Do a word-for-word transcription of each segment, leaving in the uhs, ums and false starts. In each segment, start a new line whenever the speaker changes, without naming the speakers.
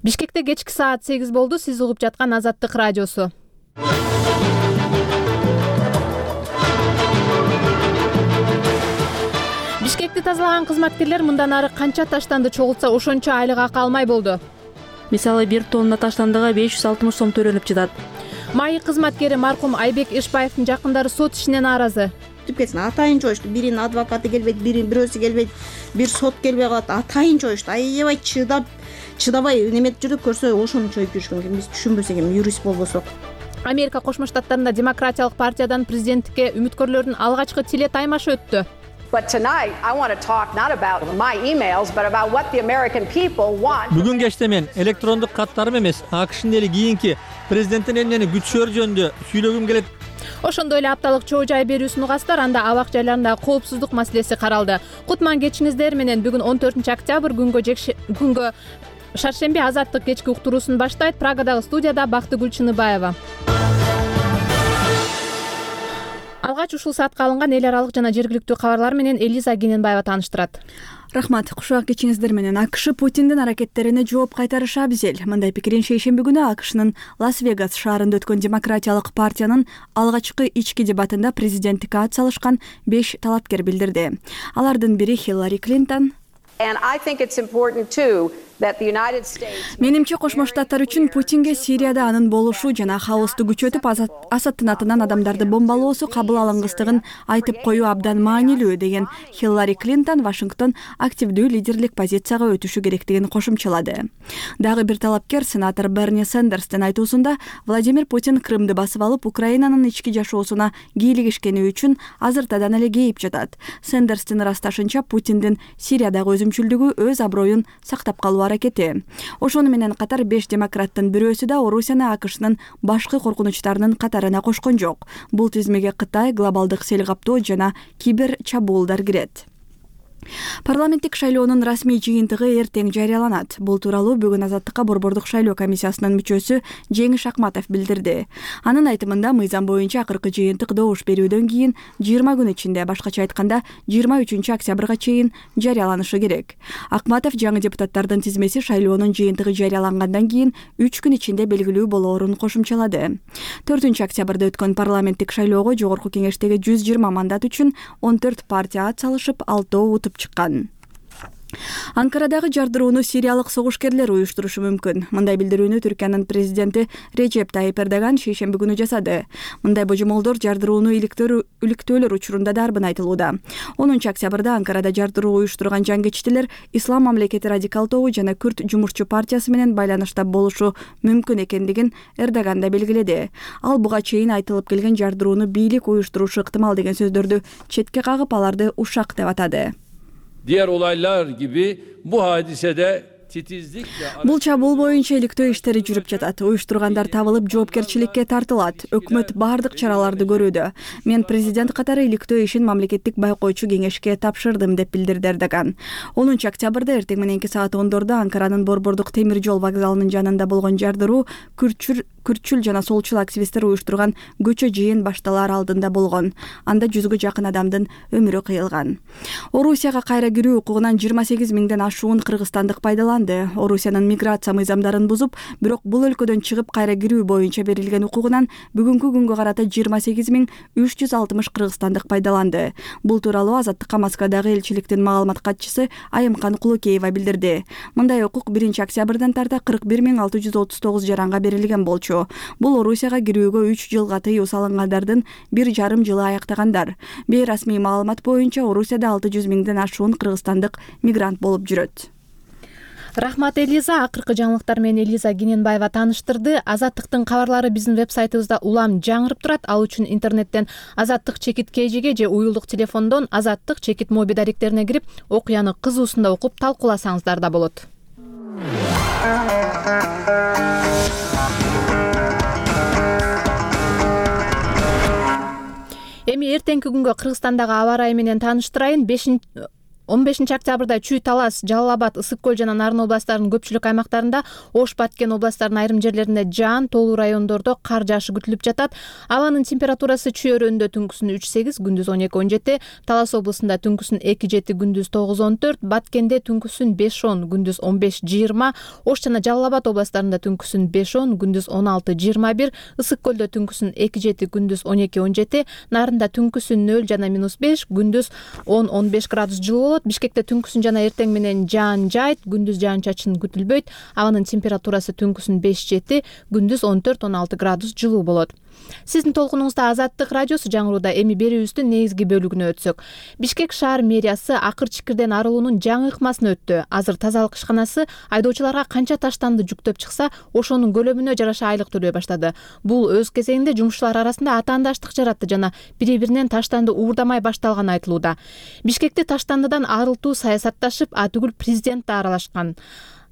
Бишкекте кечки саат сегиз болду. Сиз угуп жаткан Азаттык радиосу. Бишкекти тазалаган кызматкерлер мындан ары канча таштанды чогултса ошончо айлык акы алмай болду.
Мисалы бир тонна таштандыга беш жүз алтымыш сом төлөнүп жатат.
Маек кызматкери маркум Айбек Ишбаевдин жакындары сот ишинен нааразы.
Түп кетсин атайын жоюшту. Биринин адвокаты келбейт, биринин бирөөсү келбейт, бир сот келбей калат. Атайын жоюшту. Аябай чыдап, чыдабай неметип жүрүп көрсө ошону чоюп жүрүшкөн. Биз түшүнбөсөк эми юрист болбосок.
Америка Кошмо Штаттарында Демократиялык партиядан президенттикке үмүткөрлөрдүн алгачкы тиле таймашы өттү.
But tonight I want to talk not about my emails but about what the American people want.
Бүгүн кечте мен электрондук каттарым эмес, АКШнын эли кийинки президенттин эмнени күтүшөр жөнүндө сүйлөгүм келет.
Ошондой эле апталык чоо жай берүүсүн угасыздар. Анда абак жайларында коопсуздук маселеси каралды. Кутман кечиңиздер менен бүгүн он төртүнчү октябрь күнгө күнгө шаршемби Азаттык кечки уктуруусун баштайт. Прагадагы студияда Бактыгүл Чыныбаева. Алгач ушул саатка алынган эл аралык жана жергиликтүү кабарлар менен Элиза Гененбаева тааныштырат.
Рахмат. Кушак кечиңиздер менен АКШ Путиндин аракеттерине жооп кайтарышы абзел. Мындай пикирин шейшемби күнү АКШнын Лас-Вегас шаарында өткөн Демократиялык партиянын алгачкы ички дебатында президенттикке ат салышкан беш талапкер билдирди. Алардын бири Хиллари Клинтон.
And I think it's important too that the United States
Менимче Кошмо Штаттар үчүн Путинге Сирияда анын болушу жана хаосту күчөтүп Асадтын атынан адамдарды бомбалоосу кабыл алынгыстыгын айтып коюу абдан маанилүү деген Хиллари Клинтон Вашингтон активдүү лидерлик позицияга өтүшү керектигин кошумчалады. Дагы бир талапкер сенатор Берни Сандерстин айтуусунда Владимир Путин Крымды басып алып Украинанын ички жашоосуна кийлигишкени үчүн азыртадан эле кейип жатат. Сандерстин ырасташынча Путиндин Сириядагы өзүмчүлдүгү өз аброюн сактап калуу аракети. Ошону менен катар беш демократтын бирөөсү да Орусияны АКШнын башкы коркунучтарынын катарына кошкон жок. Бул тизмеге Кытай, глобалдык сел каптоо жана кибер чабуулдар кирет. Парламенттик шайлоонун расмий жыйынтыгы эртең жарыяланат. Бул тууралуу бүгүн Азаттыкка борбордук шайлоо комиссиясынын мүчөсү Жеңиш Акматов билдирди. Анын айтымында мыйзам боюнча акыркы жыйынтык добуш берүүдөн кийин жыйырма күн ичинде, башкача айтканда жыйырма үчүнчү октябрга чейин жарыяланышы керек. Акматов жаңы депутаттардын тизмеси шайлоонун жыйынтыгы жарыялангандан кийин үч күн ичинде белгилүү болоорун кошумчалады. төртүнчү октябрда өткөн парламенттик шайлоого жогорку кеңештеги жүз жыйырма мандат үчүн он төрт партия ат салышып, алтоо утуп чыккан. Анкарадагы жардырууну сириялык согушкерлер уюштурушу мүмкүн. Мындай билдирүүнү Түркиянын президенти Режеп Тайип Эрдоган шейшемби күнү жасады. Мындай божомолдор жардырууну иликтөөлөр учурунда дарбын айтылууда. онунчу октябрда Анкарада жардыруу уюштурган жангечтилер Ислам мамлекети радикал тобу жана Күрт жумуртчу партиясы менен байланышта болушу мүмкүн экендигин Эрдоган да белгиледи. Ал буга чейин айтылып келген жардырууну бийлик уюштурушу ыктымал деген сөздөрдү четке кагып, аларды ушак деп атады.
Diğer olaylar gibi bu hadisede titizlikle...
Бул чабуул боюнча иликтөө иштери жүрүп жатат. Уюштургандар табылып, жоопкерчиликке тартылат. Өкмөт бардык чараларды көрүүдө. Мен президент катары иликтөө ишин мамлекеттик байкоочу кеңешке тапшырдым деп билдирди Эрдоган. онунчу октябрда эртең мененки саат ондордо Анкаранын борбордук темир жол вокзалынын жанында болгон жардыруу күрчүр күрчүл жана солчул активисттер уюштурган көчө жыйын башталаар алдында болгон. Анда жүзгө жакын адамдын өмүрү кыйылган. Орусияга кайра кирүү укугунан жыйырма сегиз миңден ашуун кыргызстандык пайдаланды. Орусиянын миграция мыйзамдарын бузуп, бирок бул өлкөдөн чыгып кайра кирүү боюнча берилген укугунан бүгүнкү күнгө карата жыйырма сегиз миң үч жүз алтымыш кыргызстандык пайдаланды. Бул тууралуу Азаттыкка Москвадагы элчиликтин маалымат катчысы Айымкан Кулукеева билдирди. Мындай укук биринчи октябрдан тарта кырк бир миң алты жүз отуз тогуз жаранга берилген болчу. Бул Орусияга кирүүгө үч жылга тыюу салынгандардын бир жарым жылы аяктагандар. Бейрасмий маалымат боюнча Орусияда алты жүз миңден ашуун кыргызстандык мигрант болуп жүрөт.
Рахмат Элиза. Акыркы жаңылыктар менен Элиза Гененбаева тааныштырды. Азаттыктын кабарлары биздин вебсайтыбызда улам жаңырып турат. Ал үчүн интернеттен Азаттык чекит кежиге же уюлдук телефондон Азаттык чекит моби даректерине кирип, окуяны кызуусунда окуп талкууласаңыздар да болот. Эми эртеңки күнгө Кыргызстандагы аба ырайы менен тааныштырайын. он бешинчи октябрда Чүй, Талас, Жалал Абад, Ысык Көл жана Нарын областарынын көпчүлүк аймактарында, Ош, Баткен областарынын айрым жерлеринде жаан, тоолуу райондордо кар жаашы күтүлүп жатат. Абанын температурасы Чүй өрөөнүндө түнкүсүн үч сегиз, күндүз он эки он жети, Талас облусунда түнкүсүн эки жети, күндүз тогуз он төрт, Баткенде түнкүсүн беш он, күндүз он беш жыйырма, Ош жана Жалал Абад областарында түнкүсүн беш он, күндүз он алты жыйырма бир, Ысык Көлдө түнкүсүн эки жети, күндүз он эки он жети, Нарында түнкүсүн нөл жана минус беш, күндүз он он беш градус жылуу. Бишкекте түнкүсүн жана эртең менен жаан жаайт, күндүз жаан-чачын күтүлбөйт. Абанын температурасы түнкүсүн беш жети, күндүз он төрт он алты градус жылуу болот. Сиздин толкунуңузда Азаттык радиосу жаңырууда. Эми берүүбүздүн негизги бөлүгүнө өтсөк. Бишкек шаар мэриясы акыр чикирден арылуунун жаңы ыкмасын өттү. Азыр тазалык ишканасы айдоочуларга канча таштанды жүктөп чыкса, ошонун көлөмүнө жараша айлык төлөй баштады. Бул өз кезегинде жумушчулар арасында атаандаштык жаратты жана бири-биринен таштанды уурдамай башталганы айтылууда. Бишкекти таштандыдан арылтуу саясатташып, а түгүл президент да аралашкан.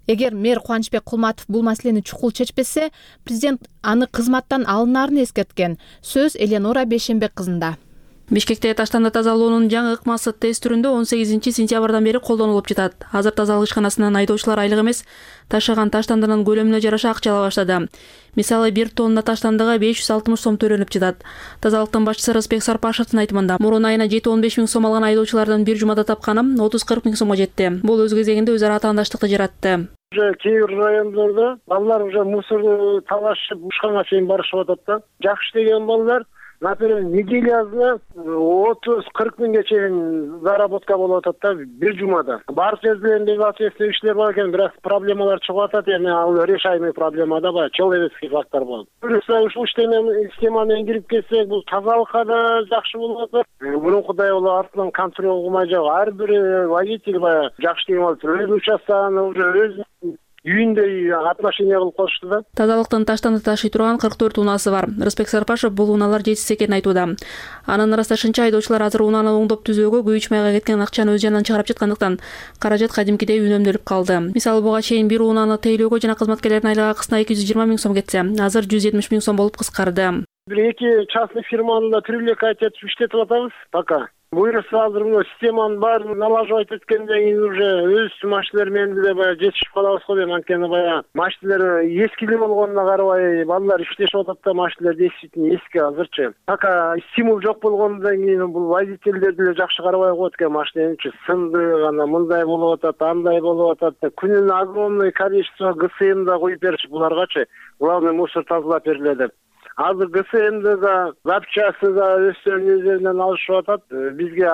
Эгер мэр Кубанычбек Кулматов бул маселени чукул чечпесе, президент аны кызматтан алынаарын эскерткен. Сөз Эленора Бейшенбек кызында.
Бишкекте таштанды тазалоонун жаңы ыкмасы тест түрүндө он сегизинчи сентябрдан бери колдонулуп жатат. Азыр тазалык ишканасынан айдоочулар айлык эмес, ташаган таштандынын көлөмүнө жараша акча ала баштады. Мисалы, бир тонна таштандыга беш жүз алтымыш сом төлөнүп жатат. Тазалыктын башчысы Рысбек Сарпашевдин айтымында, мурун айына жети он беш миң сом алган айдоочулардын бир жумада тапканы отуз кырк миң сомго жетти. Бул өз кезегинде өз ара атаандаштыкты жаратты.
Уже кээ бир райондордо балдар уже мусорду талашып ушканга чейин барышып атат да. Жакшы деген балдар, например, неделясына отуз кырк миңге чейин заработка болуп атат да бир жумада. Бар жердеринде ответственный иштер бар экен, бирок проблемалар чыгып атат, эми ал решаемый проблема да, баягы человеческий фактор болот. Ушул системаны кирип кетсек, бул тазалыкка да жакшы болуп атат. Мурункудай болуп артынан контроль кылмай жок. Ар бир водитель баягы жакшы деген болуп, өз участканы уже өз үйүндө отношение кылып коюшту да.
Тазалыктын таштанды ташый турган кырк төрт унаасы бар. Рысбек Сарпашев бул унаалар жетишсиз экенин айтууда. Анын ырасташынча, айдоочулар азыр унаны оңдоп түзөөгө күйүүч майга кеткен акчаны өз жанынан чыгарып жаткандыктан каражат кадимкидей үнөмдөлүп калды. Мисалы, буга чейин бир унаны тейлөөгө жана кызматкерлердин айлык акысына эки жүз жыйырма миң сом кетсе, азыр жүз жетимиш миң сом болуп кыскарды.
Бир эки частный фирманы да привлекать этип иштетип атабыз пока. Буюрса азыр мына системаны баарын налаживать эткенден кийин уже өз машиналар менен деле баягы жетишип калабыз го дейм. Анткени баягы машиналар эскилүү болгонуна карабай балдар иштешип атат да, машиналар действительно эски азырчы. Пока стимул жок болгондон кийин бул водительдер деле жакшы карабай коет экен, машинанычы сынды, ана мындай болуп атат, андай болуп атат. Күнүнө огромное количество ГСМ да коюп беришип буларгачы. Главный мусор тазалап бергиле деп. Азыр ГСМди да, запчасты да өздөрүнүн üzerinden алышып атат. Бизге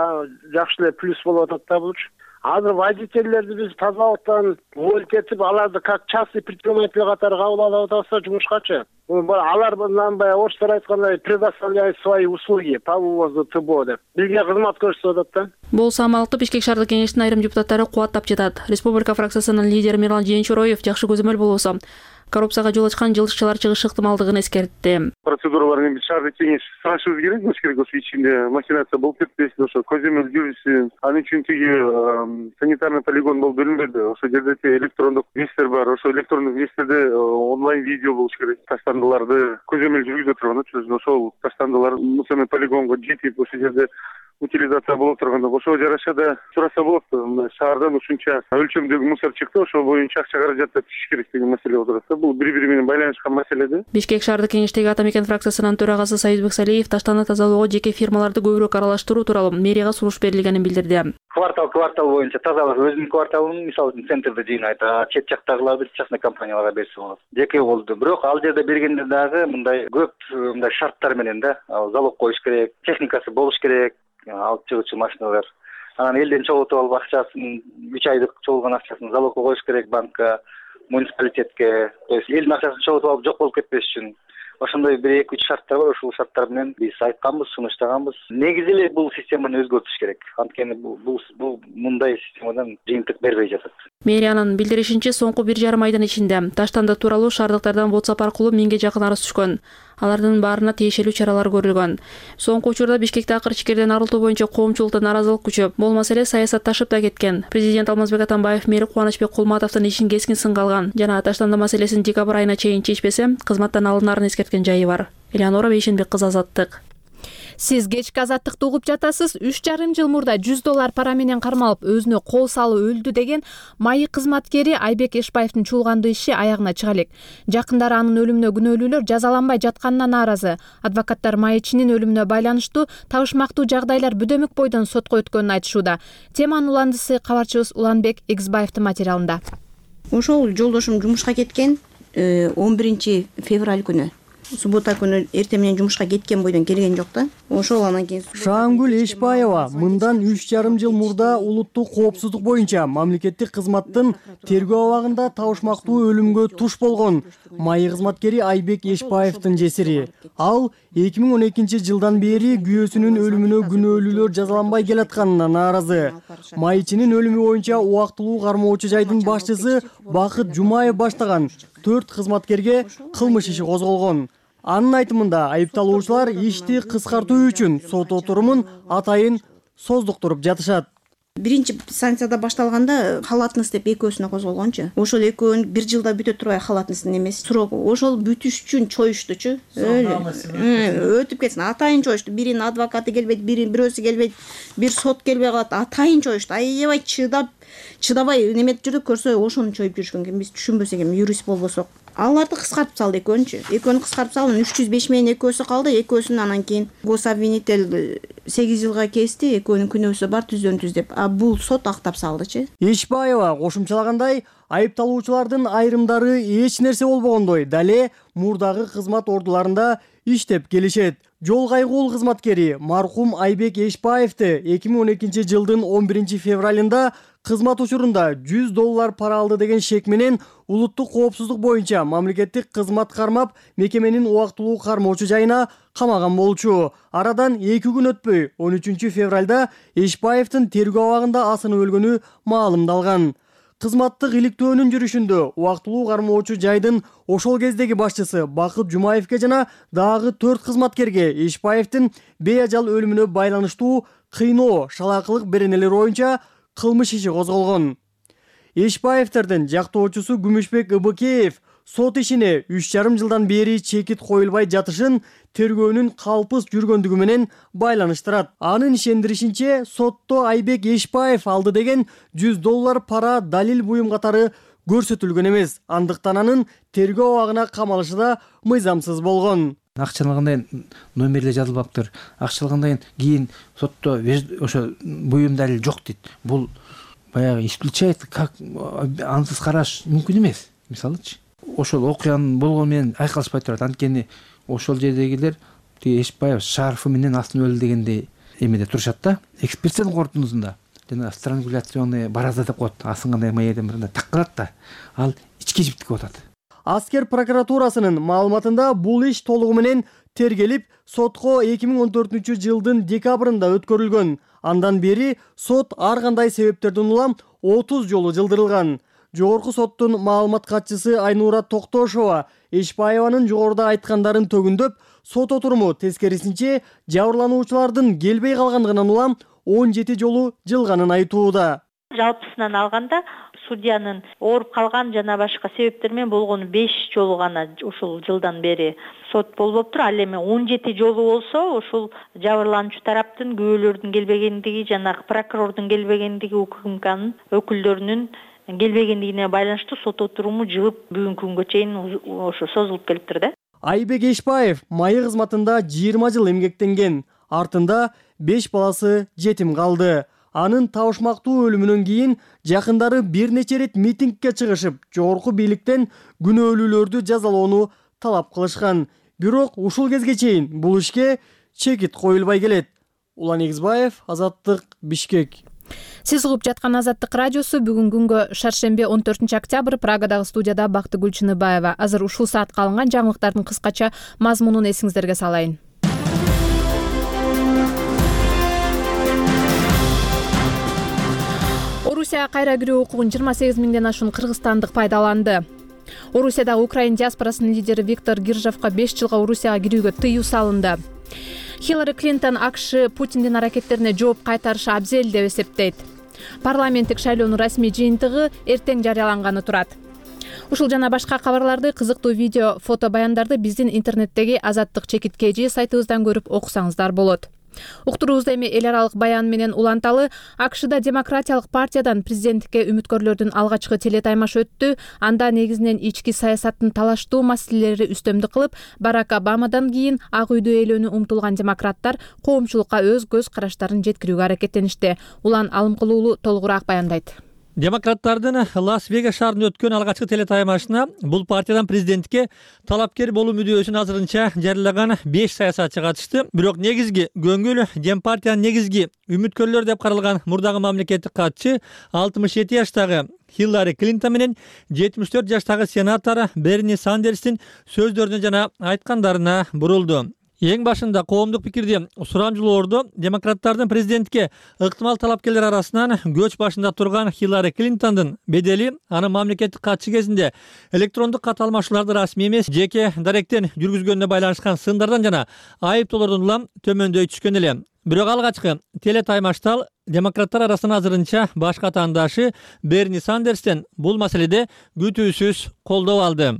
жакшы эле плюс болуп атат да булчу. Азыр водительдерди биз тазалыктан уволить этип, аларды как частный предприниматель катары кабыл алып атабыз жумушкачы. Алар мындан баягы орустар айткандай предоставляют свои услуги по вывозу ТБО деп. Бизге кызмат көрсөтүп атат да.
Бул самалыкты Бишкек шаардык кеңештин айрым депутаттары кубаттап жатат. Республика фракциясынын лидери Мирлан Жээнчуроев жакшы көзөмөл болбосо коррупцияга жол ачкан жылышчылар чыгышы ыктымалдыгын эскертти.
Процедуралар эми шаардык кеңеш сунашыбыз керек, болуш керек, ошо ичинде махинация болуп кетпесин, ошо көзөмөл жүрүшсүн. Ал үчүн тиги санитарный полигон болуп бөлүнбөдү. Ошо жерде электрондук вестер бар, ошо электрондук вестерде онлайн видео болуш керек. Таштандыларды көзөмөл жүргүзө турган, ошол таштандылар мусорный полигонго жетип, ошол жерде утилизация болуп турганда, ошого жараша да сураса болот. Шаардан ушунча өлчөмдөгү мусор чыкты, ошол боюнча акча каражат түшүш керек деген маселе болуп турат. Бул бири-бири менен байланышкан маселе да.
Бишкек шаардык кеңештеги Ата Мекен фракциясынын төрагасы Союзбек Салиев таштанды тазалоого жеке фирмаларды көбүрөөк аралаштыруу тууралуу мэрияга сунуш берилгенин билдирди.
Квартал квартал боюнча тазалык өзүнүн кварталын, мисалы үчүн центрде жыйнайт, а чет жактагыларды частный компанияларга берсе болот. Жеке болду. Бирок ал жерде бергенде дагы мындай көп мындай шарттар менен да, залог коюш керек, техникасы болуш керек, алып чыгуучу машиналар. Анан элден чогултуп алып акчасын, үч айдык чогулган акчасын залогко коюш керек банкка, муниципалитетке. То есть элдин акчасын чогултуп алып жок болуп кетпеш үчүн. Ошондой бир эки үч шарттар бар, ошол шарттар менен биз айтканбыз, сунуштаганбыз. Негизи эле бул системаны өзгөртүш керек. Анткени бул бул мындай системадан жыйынтык бербей жатат.
Мэриянын билдиришинче, соңку бир жарым айдын ичинде таштанды тууралуу шаардыктардан WhatsApp аркылуу миңге жакын арыз түшкөн. Алардын баарына тиешелүү чаралар көрүлгөн. Соңку учурда Бишкекте акыр чикирден арылтуу боюнча коомчулукта нааразылык күчөп, бул маселе саясатташып да кеткен. Президент Алмазбек Атамбаев мэри Кубанычбек Кулматовдун ишин кескин сынга алган жана таштанды маселесин декабрь айына чейин чечпесе, кызматтан алынаарын эскерткен жайы бар. Эленора Бейшенбек кызы, Азаттык.
Сиз кечки азаттыкты угуп жатасыз. үч жарым жыл мурда жүз доллар пара менен кармалып өзүнө кол салып өлдү деген майы кызматкери Айбек Эшбаевдин чуулгандуу иши аягына чыга элек. Жакындары анын өлүмүнө күнөөлүүлөр жазаланбай жатканына нааразы. Адвокаттар майычынын өлүмүнө байланыштуу табышмактуу жагдайлар Бүдөмүк бойдон сотко өткөнүн айтышууда. Теманын уландысы кабарчыбыз Уланбек Эгизбаевдин материалында.
Ошол жолдошум жумушка кеткен он биринчи февраль күнү. Суббота күнү эртең менен жумушка кеткен бойдон келген жок да. Ошол анан кийин
Шаангүл Эшбаева мындан үч жарым жыл мурда улуттук коопсуздук боюнча мамлекеттик кызматтын тергөө абагында табышмактуу өлүмгө туш болгон майы кызматкери Айбек Эшбаевдин жесири. Ал эки миң он экинчи жылдан бери күйөөсүнүн өлүмүнө күнөөлүүлөр жазаланбай келатканына нааразы. Майчынын өлүмү боюнча убактылуу кармоочу жайдын башчысы Бакыт Жумаев баштаган төрт кызматкерге кылмыш иши козголгон. Анын айтымында айыпталуучулар ишти кыскартуу үчүн сот отурумун атайын создуктуруп жатышат.
Биринчи санкцияда башталганда халатность деп экөөсүнө козголгончу. Ошол экөөнүн бир жылда бүтө турбай халатностьтун эмеси срок. Ошол бүтүш үчүн чоюштучу. Өтүп кетсин. Атайын чоюшту. Биринин адвокаты келбейт, биринин бирөөсү келбейт, бир сот келбей калат. Атайын чоюшту. Аябай чыдап, чыдабай неметип жүрдүк, көрсө ошону чоюп жүрүшкөн экен. Биз түшүнбөсөк эми, юрист болбосок. Аларды кыскартып салды экөөнчү. Экөөнү кыскартып салып, үч жүз беш менен экөөсү калды. Экөөсүн анан кийин гособвинитель сегиз жылга кести, экөөнүн күнөөсү бар, түздөн түз деп. А бул сот актап салдычы.
Эшбаева кошумчалагандай, айыпталуучулардын айрымдары эч нерсе болбогондой дале мурдагы кызмат ордуларында иштеп келишет. Жол кайгуул кызматкери маркум Айбек Эшбаевди эки миң он экинчи жылдын он биринчи февралында кызмат учурунда жүз доллар пара алды деген шек менен улуттук коопсуздук боюнча мамлекеттик кызмат кармап мекеменин убактылуу кармоочу жайына камаган болчу. Арадан эки күн өтпөй он үчүнчү февралда Эшбаевдин тергөө абагында асынып өлгөнү маалымдалган. Кызматтык иликтөөнүн жүрүшүндө убактылуу кармоочу жайдын ошол кездеги башчысы Бакыт Жумаевге жана дагы төрт кызматкерге Эшбаевдин бейажал өлүмүнө байланыштуу кыйноо, шалаакылык беренелери боюнча кылмыш иши козголгон. Эшбаевдердин жактоочусу Күмүшбек Ыбыкеев сот ишине үч жарым жылдан бери чекит коюлбай жатышын тергөөнүн калпыс жүргөндүгү менен байланыштырат. Анын ишендиришинче, сотто Айбек Эшбаев алды деген жүз доллар пара далил буюм катары көрсөтүлгөн эмес. Андыктан анын тергөө абагына камалышы да мыйзамсыз болгон.
Акчалыгындай номерлер жазылбаптыр. Акчалыгындай кийин сотто ошо буюм далил жок дейт. Бул баягы исключает, как ансыз караш мүмкүн эмес. Мисалычы, ошол окуянын болгону менен айкалышпай турат. Анткени ошол жердегилер тиги Эшбаев шарфы менен астын өлдү дегенде эмеде турушат да. Экспертизанын корутундусунда жана странгуляционный бараза деп коет. Асынгандай майден мындай таккалат да. Ал ички жиптик болот.
Аскер прокуратурасынын маалыматында бул иш толугу менен тергелип, сотко эки миң он төртүнчү жылдын декабрында өткөрүлгөн. Андан бери сот ар кандай себептерден улам отуз жолу жылдырылган. Жогорку соттун маалымат катчысы Айнура Токтошова Эшбаеванын жогоруда айткандарын төгүндөп, сот отуруму тескерисинче жабырлануучулардын келбей калгандыгынан улам он жети жолу жылганын айтууда.
Жалпысынан алганда судьянын ооруп калган жана башка себептер менен болгону беш жолу гана ушул жылдан бери сот болбоптур. Ал эми он жети жолу болсо, ушул жабырлануучу тараптын күбөлөрдүн келбегендиги жана прокурордун келбегендиги, УКМКнын өкүлдөрүнүн келбегендигине байланыштуу сот отуруму жылып бүгүнкү күнгө чейин ошо созулуп келиптир да.
Айбек Эшбаев майы кызматында жыйырма жыл эмгектенген. Артында беш баласы жетим калды. Анын табышмактуу өлүмүнөн кийин жакындары бир нече рет митингге чыгышып, жогорку бийликтен күнөөлүүлөрдү жазалоону талап кылышкан. Бирок ушул кезге чейин бул ишке чекит коюлбай келет. Улан Эгизбаев, Азаттык, Бишкек.
Сиз угуп жаткан Азаттык радиосу. Бүгүн күнгө шаршемби он төртүнчү октябрь Прагадагы студияда Бактыгүл Чыныбаева. Азыр ушул саатка алынган жаңылыктардын кыскача мазмунун эсиңиздерге салайын. Орусияга кайра кирүү укугун жыйырма сегиз миңден ашуун кыргызстандык пайдаланды. Орусиядагы Украин диаспорасынын лидери Виктор Гиржевка беш жылга Орусияга кирүүгө тыюу салынды. Хиллари Клинтон АКШ Путиндин аракеттерине жооп кайтарышы абзел деп эсептейт. Парламенттик шайлоонун расмий жыйынтыгы эртең жарыяланганы турат. Ушул жана башка кабарларды, кызыктуу видео, фото баяндарды биздин интернеттеги Азаттык чекит кж сайтыбыздан көрүп окусаңыздар болот. Уктуруубузда эми эл аралык баян менен уланталы. АКШда Демократиялык партиядан президенттикке үмүткөрлөрдүн алгачкы телетаймаш өттү. Анда негизинен ички саясаттын талаштуу маселелери үстөмдүк кылып, Барак Обамадан кийин Ак үйдө ээлөнүү умтулган демократтар коомчулукка өз көз караштарын жеткирүүгө аракеттеништи. Улан Алымкулуулу толугураак баяндайт.
Демократтардын Лас-Вегас шаарында өткөн алгачкы телетаймашына бул партиядан президенттикке талапкер болуу мүдөөсүн азырынча жарыялаган беш саясатчы катышты. Бирок негизги көңүл Дем партиянын негизги үмүткөрлөр деп каралган мурдагы мамлекеттик катчы алтымыш жети жаштагы Хиллари Клинтон менен жетимиш төрт жаштагы сенатор Берни Сандерстин сөздөрүнө жана айткандарына бурулду. Эң башында коомдук пикирди сурамжылоордо демократтардын президентке ыктымал талапкерлер арасынан көч башында турган Хиллари Клинтондун бедели анын мамлекеттик катчы кезинде электрондук кат алмашууларды расмий эмес жеке даректен жүргүзгөнүнө байланышкан сындардан жана айыптоолордон улам төмөндөй түшкөн эле. Бирок алгачкы телетаймашта демократтар арасынан азырынча баш катаандашы Берни Сандерстен бул маселеде күтүүсүз колдоо алды.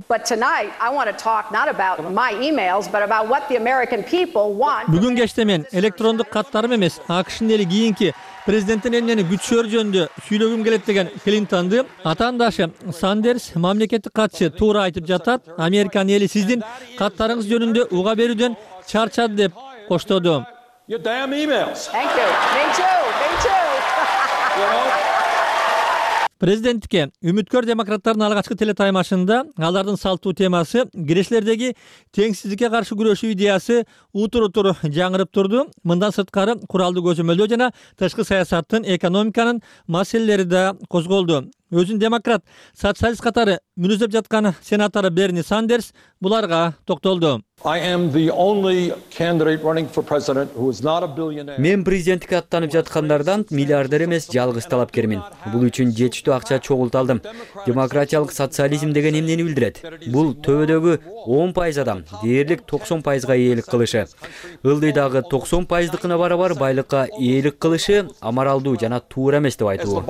Бүгүн кечте мен электрондук каттарым эмес, АКШнын эли кийинки президенттин эмнени күтүшөр жөнүндө сүйлөгүм келет деген Клинтонду атаандашы Сандерс мамлекеттик катчы туура айтып жатат. Американын эли сиздин каттарыңыз жөнүндө уга берүүдөн чарчады деп коштоду.
Your damn emails.
Thank you. Me too. Me too.
You know?
Президенттикке үмүткөр демократтардын алгачкы телетаймашында алардын салттуу темасы кирешилердеги теңсиздикке каршы күрөшүү идеясы утур-утур жаңырып турду. Мындан сырткары куралдуу көзөмөлдөө жана тышкы саясаттын, экономиканын маселелери да козголду. Өзүн демократ, социалист катары мүнөздөп жаткан сенатор Берни Сандерс буларга токтолду.
Мен президенттикке аттанып жаткандардан миллиардер эмес, жалгыз талапкермин. Бул үчүн жетиштүү акча чогулталдым. Демократиялык социализм деген эмнени билдирет? Бул төбөдөгү он пайыз адам дээрлик токсон пайызга ээлик кылышы. Ылдыйдагы токсон пайыздыкына барабар байлыкка ээлик кылышы амаралдуу жана туура эмес деп айтуу.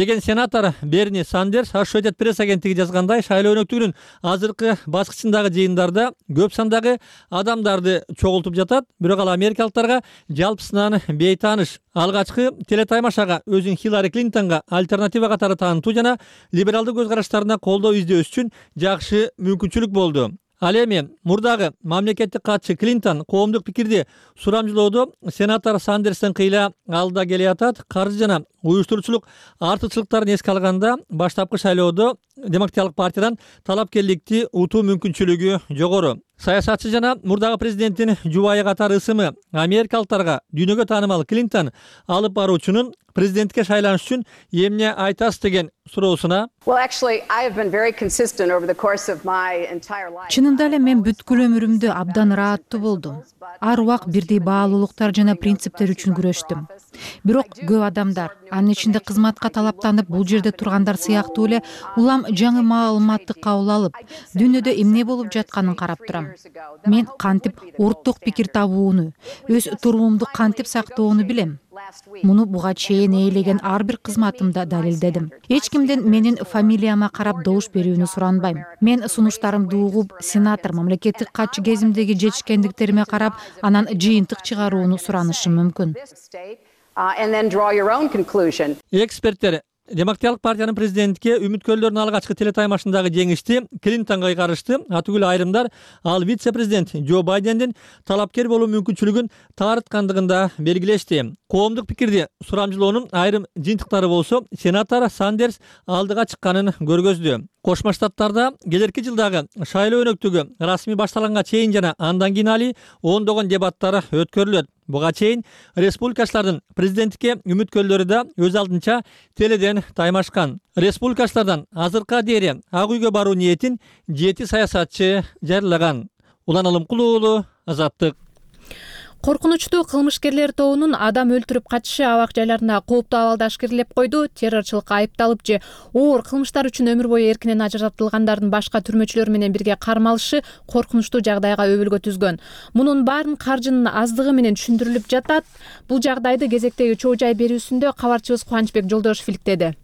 Деген сенатор Берни Сандерс Associated Press агенттиги жазгандай, шайлоо өнөктүгүнүн азыркы баскычындагы жыйындарда көп сандагы адамдарды чогултуп жатат. Бирок ал америкалыктарга жалпысынан бейтааныш. Алгачкы телетаймашага өзүн Хиллари Клинтонго альтернатива катары таанытуу жана либералдык көз караштарына колдоо издөөс үчүн жакшы мүмкүнчүлүк болду. Ал эми мурдагы мамлекеттик катчы Клинтон коомдук пикирди сурамжылоодо сенатор Сандерстен кыйла алдыда келе жатат. Каржы жана уюштуруучулук артыкчылыктарын эске алганда баштапкы шайлоодо Демократиялык партиядан талапкерликти утуу мүмкүнчүлүгү жогору. Саясатчы жана мурдагы президенттин жубайы катары ысымы америкалыктарга дүйнөгө таанымал Клинтон алып баруучунун президентке шайланыш үчүн эмне айтасыз деген суроосуна
чынында эле мен бүткүл өмүрүмдө абдан ырааттуу болдум. Ар убак бирдей баалуулуктар жана принциптер үчүн күрөштүм. Бирок көп адамдар, анын ичинде кызматка талаптанып бул жерде тургандар сыяктуу эле улам жаңы маалыматты кабыл алып, дүйнөдө эмне болуп жатканын карап турам. Мен кантип орток пикир табууну, өз туруумду кантип сактоону билем. Муну буга чейин ээлеген ар бир кызматымда далилдедим. Эч кимден менин фамилияма карап добуш берүүнү суранбайм. Мен сунуштарымды угуп, сенатор, мамлекеттик катчы кезимдеги жетишкендиктериме карап, анан жыйынтык чыгарууну суранышым мүмкүн.
Эксперттер Демократиялык партиянын президентке үмүткөрлөрдүн алгачкы телетаймашындагы жеңишти Клинтонго кайгарышты. Атүгүл айрымдар ал вице-президент Джо Байдендин талапкер болуу мүмкүнчүлүгүн таарыткандыгында белгилешти. Коомдук пикирди сурамжылоонун айрым жыйынтыктары болсо, сенатор Сандерс алдыга чыкканын көргөздү. Кошмо Штаттарда келерки жылдагы шайлоо өнөктүгү расмий башталганга чейин жана андан кийин али ондогон дебаттар өткөрүлөт. Буга чейин республикачылардын президенттикке үмүткөрлөрү да өз алдынча теледен таймашкан. Республикачылардан азыркыга дейин Ак үйгө баруу ниетин жети саясатчы жарыялаган. Улан Алымкулуулу, Азаттык.
Коркунучтуу кылмышкерлер тобунун адам өлтүрүп качышы абак жайларында кооптуу абалда ашкерелеп койду. Террорчулукка айыпталып же оор кылмыштар үчүн өмүр бою эркинен ажыратылгандардын башка түрмөчүлөр менен бирге кармалышы коркунучтуу жагдайга өбөлгө түзгөн. Мунун баарын каржынын аздыгы менен түшүндүрүлүп жатат. Бул жагдайды кезектеги чоо жай берүүсүндө кабарчыбыз Кубанычбек Жолдошев иликтеди.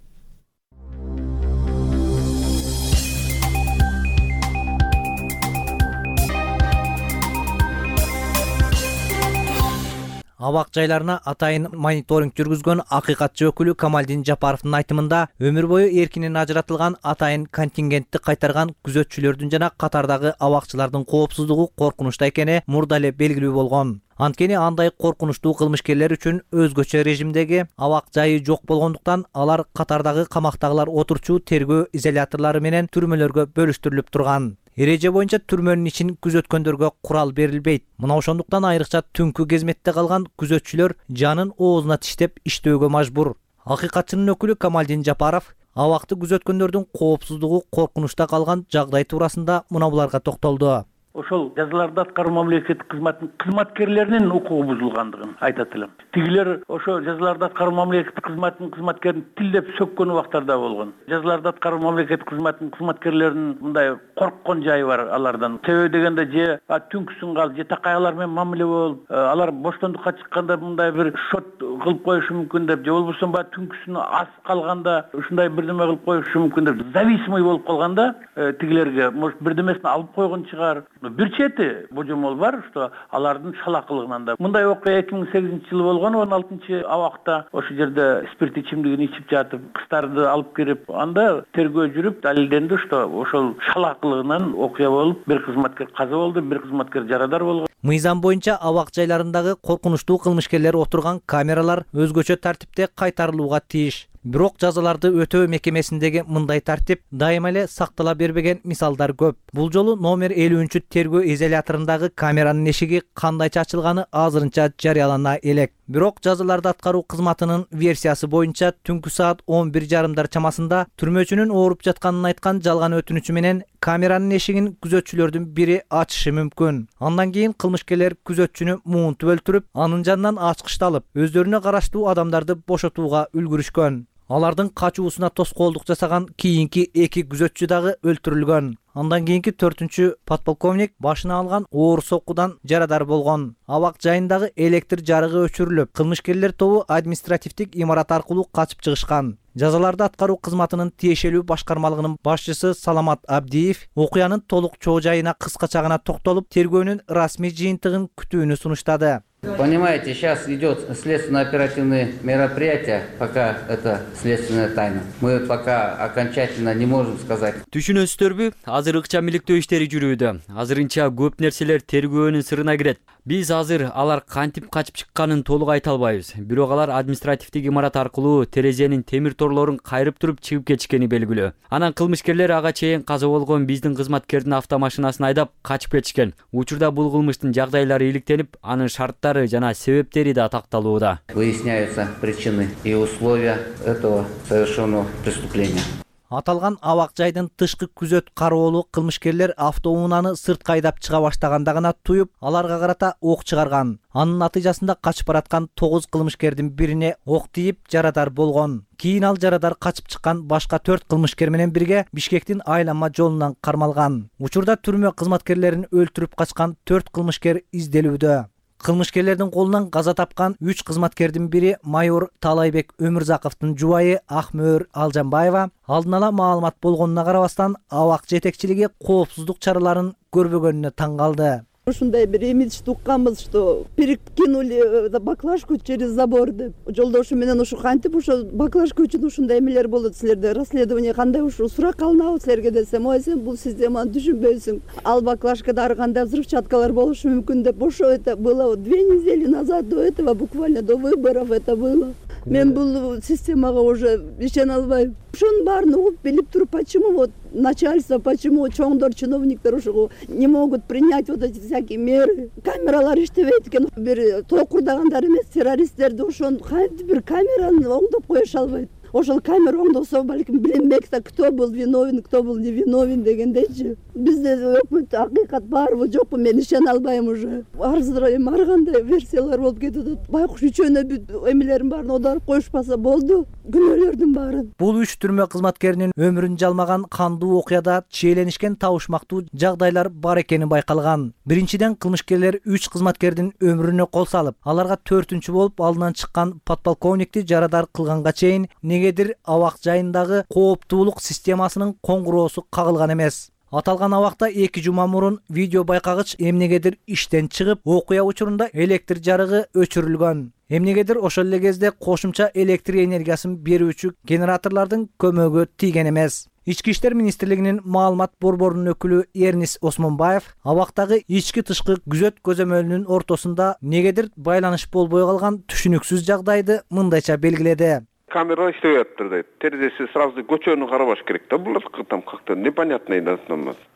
Абак жайларына атайын мониторинг жүргүзгөн акыйкатчы өкүлү Камалдин Жапаровдун айтымында өмүр бою эркинен ажыратылган атайын контингентти кайтарган күзөтчүлөрдүн жана катардагы абакчылардын коопсуздугу коркунучта экени мурда эле белгилүү болгон. Анткени андай коркунучтуу кылмышкерлер үчүн өзгөчө режимдеги абак жайы жок болгондуктан алар катардагы камактагылар отурчу тергөө изоляторлору менен түрмөлөргө бөлүштүрүлүп турган. Эреже боюнча түрмөнүн ичин күзөткөндөргө курал берилбейт. Мына ошондуктан айрыкча түнкү кезметте калган күзөтчүлөр жанын оозуна тиштеп иштөөгө мажбур. Акыйкатчынын өкүлү Камалдин Жапаров абакты күзөткөндөрдүн коопсуздугу коркунучта калган жагдай туурасында мына буларга токтолду.
Ошол жазаларды аткаруу мамлекеттик кызматтын кызматкерлеринин укугу бузулгандыгын айтат элем. Тигилер ошо жазаларды аткаруу мамлекеттик кызматтын кызматкерин тилдеп сөккөн убактарда болгон. Жазаларды аткаруу мамлекеттик кызматтын кызматкерлеринин мындай корккон жайы бар алардан. Себеби дегенде же түнкүсүн калып, же такай алар менен мамиле болуп, алар боштондукка чыкканда мындай бир шот кылып коюшу мүмкүн деп, же болбосо баягы түнкүсүн ас калганда ушундай бирдеме кылып коюшу мүмкүн деп, зависимый болуп калганда тигилерге может бирдемесин алып койгон чыгар. Бир чети божомол бар, что алардын шалакылыгынан да. Мындай окуя эки миң сегизинчи жылы болгон, он алтынчы абакта ошол жерде спирт ичимдигин ичип жатып, кыздарды алып кирип, анда тергөө жүрүп, далилденди, что ошол шалакылыгынан окуя болуп, бир кызматкер каза болду, бир кызматкер жарадар болгон.
Мыйзам боюнча абак жайларындагы коркунучтуу кылмышкерлер отурган камералар өзгөчө тартипте кайтарылууга тийиш. Бирок жазаларды өтөө мекемесиндеги мындай тартип дайыма эле сактала бербеген мисалдар көп. Бул жолу номер элүүнчү тергөө изоляторундагы камеранын эшиги кандайча ачылганы азырынча жарыялана элек. Бирок жазаларды аткаруу кызматынын версиясы боюнча түнкү саат он бир жарымдар чамасында түрмөчүнүн ооруп жатканын айткан жалган өтүнүчү менен камеранын эшигин күзөтчүлөрдүн бири ачышы мүмкүн. Андан кийин кылмышкерлер күзөтчүнү муунтуп өлтүрүп, анын жанынан ачкычты алып, өздөрүнө караштуу адамдарды бошотууга үлгүрүшкөн. Алардын качуусуна тоскоолдук жасаган кийинки эки күзөтчү дагы өлтүрүлгөн. Андан кийинки төртүнчү подполковник башына алган оор соккудан жарадар болгон. Абак жайындагы электр жарыгы өчүрүлүп, кылмышкерлер тобу административдик имарат аркылуу качып чыгышкан. Жазаларды аткаруу кызматынын тиешелүү башкармалыгынын башчысы Саламат Абдиев окуянын толук чоо жайына кыскача гана токтолуп, тергөөнүн расмий жыйынтыгын күтүүнү сунуштады.
Понимаете, сейчас идет следственно-оперативные мероприятия, пока это следственная тайна. Мы пока окончательно не можем сказать.
Түшүнөсүздөрбү? Азыр ыкчам иликтөө иштери жүрүүдө. Азырынча көп нерселер тергөөнүн сырына кирет. Биз азыр алар кантип качып чыкканын толук айта албайбыз. Бирок алар административдик имарат аркылуу терезенин темир торлорун кайрып туруп чыгып кетишкени белгилүү. Анан кылмышкерлер ага чейин каза болгон биздин кызматкердин автомашинасын айдап качып кетишкен. Учурда бул кылмыштын жагдайлары иликтенип, анын шарттары жана себептери да такталууда.
Выясняются причины и условия этого совершенного преступления.
Аталган абак жайдын тышкы күзөт кароолу кылмышкерлер автоунааны сыртка айдап чыга баштаганда гана туюп, аларга карата ок чыгарган. Анын натыйжасында качып бараткан тогуз кылмышкердин бирине ок тийип, жарадар болгон. Кийин ал жарадар качып чыккан башка төрт кылмышкер менен бирге Бишкектин айланма жолунан кармалган. Учурда түрмө кызматкерлерин өлтүрүп качкан төрт кылмышкер изделүүдө. Кылмышкерлердин колунан каза тапкан үч кызматкердин бири майор Талайбек Өмүрзаковдун жубайы Акмөөр Алжанбаева алдын ала маалымат болгонуна карабастан абак жетекчилиги коопсуздук чараларын көрбөгөнүнө таң калды.
Ушундай бир имидж тукканбыз, что перекинули баклажку через забор деп. Жолдошу менен ушу кантип ошо баклажка үчүн ушундай эмелер болот силерде, расследование кандай ушу сурак алынабы силерге десем, ой сен бул системаны түшүнбөйсүң. Ал баклажкада ар кандай взрывчаткалар болушу мүмкүн деп. Ошо это было две недели назад, до этого буквально до выборов это было. Мен бул системага уже ишене албайм. Ошонун баарын угуп билип туруп, почему вот начальство, почему чоңдор чиновниктер ошого не могут принять вот эти всякие меры. Камералар иштебейт экен. Бир токурдагандар эмес, террористтерди ошону кантип бир камераны оңдоп коюша албайт. Ошол камера оңдосо балким билинбек да, кто был виновен, кто был невиновен дегендейчи. Бизде өкмөттө акыйкат барбы жокпу, мен ишене албайм уже. Арзыра эми ар кандай версиялар болуп кетип, байкуш үчөөнө бүт эмелерин баарын оодарып коюшпаса болду, күнөөлөрдүн баарын.
Бул үч түрмө кызматкеринин өмүрүн жалмаган кандуу окуяда чиеленишкен табышмактуу жагдайлар бар экени байкалган. Биринчиден, кылмышкерлер үч кызматкердин өмүрүнө кол салып, аларга төртүнчү болуп алдынан чыккан подполковникти жарадар кылганга чейин негедир абак жайындагы кооптуулук системасынын коңгуроосу кагылган эмес. Аталган абакта эки жума мурун видео байкагыч эмнегедир иштен чыгып, окуя учурунда электр жарыгы өчүрүлгөн. Эмнегедир ошол эле кезде кошумча электр энергиясын берүүчү генераторлордун көмөгү тийген эмес. Ички иштер министрлигинин маалымат борборунун өкүлү Эрнис Осмонбаев абактагы ички-тышкы күзөт көзөмөлүнүн ортосунда негедир байланыш болбой калган түшүнүксүз жагдайды мындайча белгиледи.
Камера иштебей атыптыр дейт. Терезеси сразу көчөнү карабаш керек да. Булар там как-то непонятный да.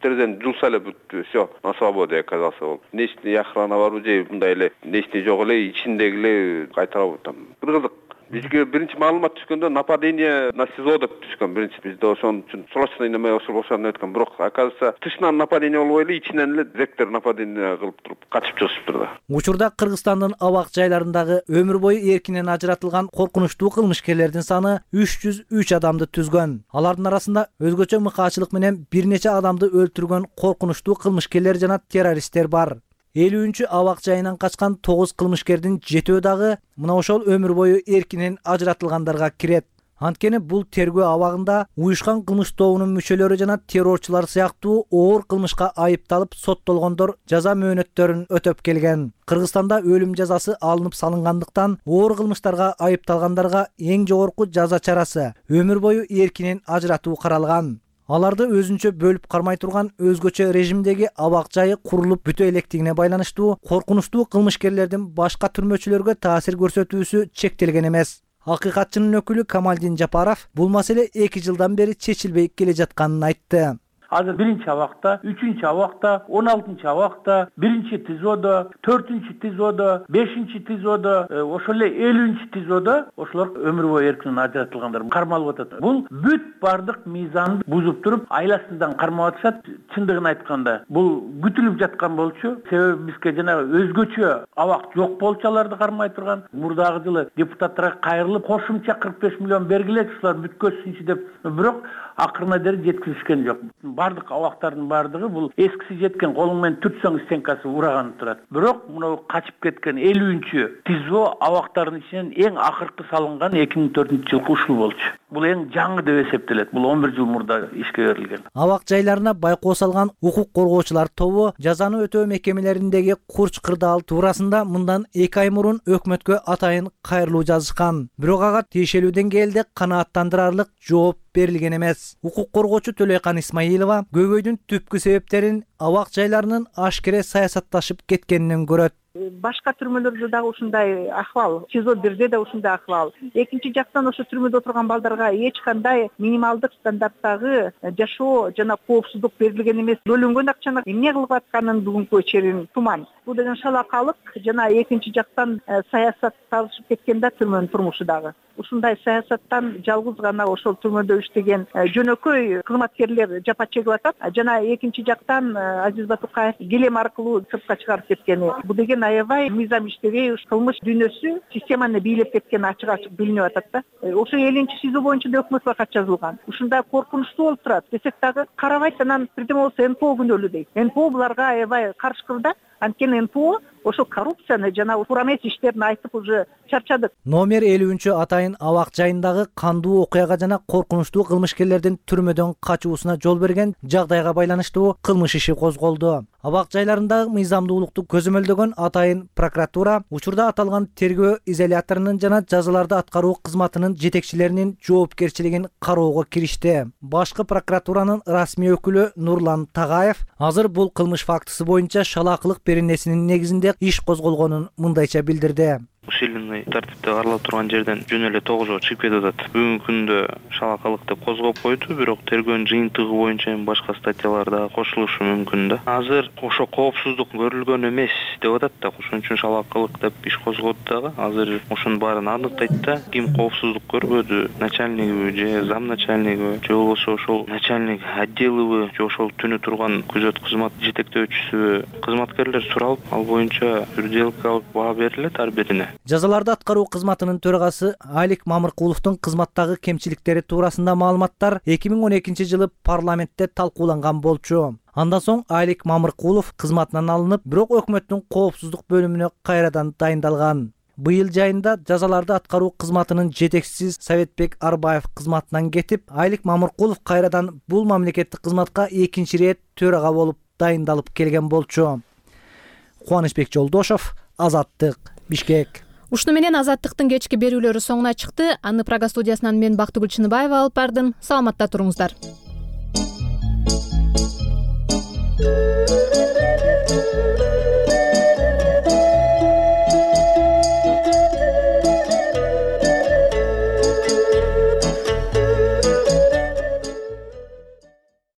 Терезени жулса эле бүттү. Всё, на свободе оказался ол. Нечти охрана бар же мындай эле нечти жок эле ичиндеги эле кайтарып там. Бир кызык. Бизге биринчи маалымат түшкөндө нападение на СИЗО деп түшкөн. Биринчи бизде ошон үчүн срочный неме ошол ошону өткөн. Бирок оказывается тышынан нападение болбой эле ичинен эле ректор нападение кылып туруп качып чыгышыптыр да.
Учурда Кыргызстандын абак жайларындагы өмүр бою эркинен ажыратылган коркунучтуу кылмышкерлердин саны үч жүз үч адамды түзгөн. Алардын арасында өзгөчө мыкаачылык менен бир нече адамды өлтүргөн коркунучтуу кылмышкерлер жана террористтер бар. элүүнчү абак жайынан качкан тогуз кылмышкердин жетөө дагы мына ошол өмүр бою эркинен ажыратылгандарга кирет. Анткени бул тергөө абагында уюшкан кылмыш тобунун мүчөлөрү жана террорчулар сыяктуу оор кылмышка айыпталып соттолгондор жаза мөөнөттөрүн өтөп келген. Кыргызстанда өлүм жазасы алынып салынгандыктан оор кылмыштарга айыпталгандарга эң жогорку жаза чарасы өмүр бою эркинен ажыратуу каралган. Аларды өзүнчө бөлүп кармай турган өзгөчө режимдеги абак жайы курулуп бүтө электигине байланыштуу коркунучтуу кылмышкерлердин башка түрмөчүлөргө таасир көрсөтүүсү чектелген эмес. Акыйкатчынын өкүлү Камалдин Жапаров бул маселе эки жылдан бери чечилбей келе жатканын айтты.
Азыр биринчи абакта, үчүнчү абакта, он алтынчы абакта, биринчи ТИЗОдо, төртүнчү ТИЗОдо, бешинчи ТИЗОдо, ошол эле элүүнчү ТИЗОдо ошолор өмүр бою эркинен ажыратылгандар кармалып атат. Бул бүт бардык мыйзамды бузуп туруп, айласыздан кармап атышат. Чындыгын айтканда, бул күтүлүп жаткан болчу. Себеби бизге жана өзгөчө абак жок болчу аларды кармай турган. Мурдагы жылы депутаттарга кайрылып, кошумча кырк беш миллион бергиле, ушулар бүткөзсүнчү деп, бирок акырына дери жеткизишкен жок. Бардык абактардын бардыгы бул эскиси жеткен колуң менен түртсөң стенкасы ураганып турат. Бирок мына качып кеткен элүүнчү ТИЗО абактардын ичинен эң акыркы салынган эки миң төртүнчү жылкы ушул болчу. Бул эң жаңы деп эсептелет. Бул он бир жыл мурда ишке берилген.
Абак жайларына байкоо салган укук коргоочулар тобу жазаны өтөө мекемелериндеги курч кырдаал туурасында мындан эки ай мурун өкмөткө атайын кайрылуу жазышкан. Бирок ага тиешелүү деңгээлде канааттандырарлык жооп берилген эмес. Укук коргоочу Төлөйкан Исмаилова көйгөйдүн түпкү себептерин абак жайларынын ашкере саясатташып кеткенинен көрөт.
Башка түрмөлөрдө дагы ушундай акыбал, ТИЗО бирде да ушундай акыбал. Экинчи жактан ошо түрмөдө отурган балдарга эч кандай минималдык стандарттагы жашоо жана коопсуздук берилген эмес. Бөлүнгөн акчаны эмне кылып атканын бүгүнкү черин туман. Бул деген шалакалык жана экинчи жактан саясатташып кеткен да түрмөнүн турмушу дагы. Ушундай саясаттан жалгыз гана ошол түрмөдө иштеген жөнөкөй кызматкерлер жапа чегип атат. Жана экинчи жактан Азиз Батукаев келем аркылуу сыртка чыгарып кеткени. Бул деген аябай мыйзам иштебей кылмыш дүйнөсү системаны бийлеп кеткени ачык-ачык билинип атат да. Ошо элүүнчү СИЗО боюнча да өкмөткө кат жазылган. Ушундай коркунучтуу болуп турат десек дагы карабайт, анан бирдеме болсо эн п о күнөөлүү дейт. эн п о буларга аябай каршыкыр да. Анткени эн п о ошо коррупцияны жана туура эмес иштерин айтып уже чарчадык.
Номер элүүнчү атайын абак жайындагы кандуу окуяга жана коркунучтуу кылмышкерлердин түрмөдөн качуусуна жол берген жагдайга байланыштуу кылмыш иши козголду. Абак жайларындагы мыйзамдуулукту көзөмөлдөгөн атайын прокуратура учурда аталган тергөө изоляторунун жана жазаларды аткаруу кызматынын жетекчилеринин жоопкерчилигин кароого киришти. Башкы прокуратуранын расмий өкүлү Нурлан Тагаев азыр бул кылмыш фактысы боюнча шалаакылык беренесинин негизинде иш козголгонун мындайча билдирди.
Усиленный тартипте каралып турган жерден жөн эле тогуз жолу чыгып кетип атат. Бүгүнкү күндө шалакалык деп козгоп койду, бирок тергөөнүн жыйынтыгы боюнча эми башка статьялар да кошулушу мүмкүн да. Азыр ошо коопсуздук көрүлгөн эмес деп атат да, ошон үчүн шалакалык деп иш козгоду дагы. Азыр ошонун баарын аныктайт да, ким коопсуздук көрбөдү, начальнигиби же зам начальнигиби же болбосо ошол начальник отделыбы же ошол түнү турган күзөт кызмат жетектөөчүсүбү. Кызматкерлер суралып, ал боюнча юридикалык баа берилет ар бирине.
Жазаларды аткаруу кызматынын төрагасы Алик Мамыркуловдун кызматтагы кемчиликтери туурасында маалыматтар эки миң он экинчи жылы парламентте талкууланган болчу. Андан соң Алик Мамыркулов кызматынан алынып, бирок өкмөттүн коопсуздук бөлүмүнө кайрадан дайындалган. быйыл жайында жазаларды аткаруу кызматынын жетекчиси Советбек Арбаев кызматынан кетип, Айлык Мамыркулов кайрадан бул мамлекеттик кызматка экинчи ирет төрага болуп дайындалып келген болчу. Кубанычбек Жолдошов, Азаттык, Бишкек.
Ушуну менен Азаттыктын кечки берүүлөрү соңуна чыкты. Аны Прага студиясынан мен Бактыгүл Чыныбаева алып бардым. Саламатта туруңуздар.